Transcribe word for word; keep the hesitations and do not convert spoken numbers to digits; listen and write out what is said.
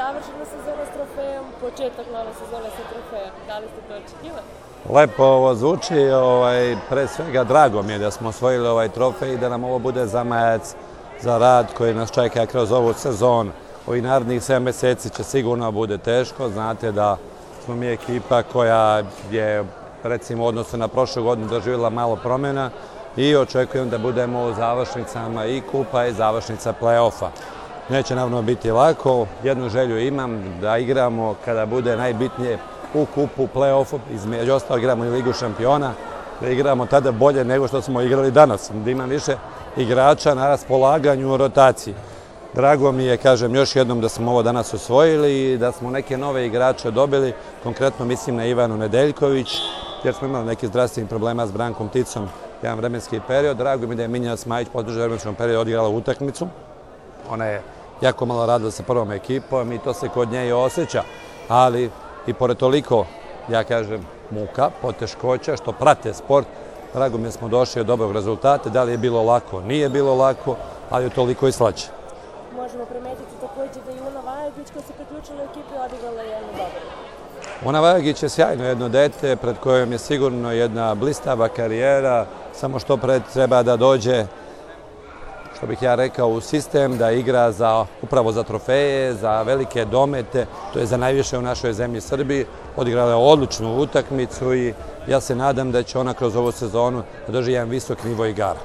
završena sezona s trofejom, početak nove sezone sa trofejom. Da li ste to očekivali? Lepo ovo zvuči, ovaj, pre svega drago mi je da smo osvojili ovaj trofej i da nam ovo bude zamajac za rad koji nas čeka kroz ovu sezonu. Ovih narednih sedam mjeseci će sigurno bude teško, znate da smo mi ekipa koja je, recimo, u odnosu na prošlu godinu doživjela malo promjena i očekujem da budemo u završnicama i kupa i završnica play-offa. Neće naravno biti lako, jednu želju imam da igramo kada bude najbitnije u kupu, play-offu, između ostalo igramo i Ligu šampiona, da igramo tada bolje nego što smo igrali danas, da imam više igrača na raspolaganju u rotaciji. Drago mi je, kažem još jednom, da smo ovo danas osvojili i da smo neke nove igrače dobili, konkretno mislim na Ivanu Nedeljković, jer smo imali neki zdravstvenih problema s Brankom Ticom jedan vremenski period. Drago mi da je Minjana Smajić podružen vremenskom periodu odigrala utakmicu. Ona je jako malo radila sa prvom ekipom i to se kod nje i osjeća, ali i pored toliko, ja kažem, muka, poteškoća, što prate sport, drago mi je smo došli od dobrog rezultata. Da li je bilo lako? Nije bilo lako, ali je toliko i slađe. Možemo primetiti također da je Una Vajagić koja se priključila u ekipi odigrala jedno dobro. Una Vajagić je sjajno jedno dete pred kojom je sigurno jedna blistava karijera, samo što pred treba da dođe, što bih ja rekao, u sistem, da igra za, upravo za trofeje, za velike domete, to je za najviše u našoj zemlji Srbiji. Odigrala je odličnu utakmicu i ja se nadam da će ona kroz ovu sezonu da drži jedan visok nivo igara.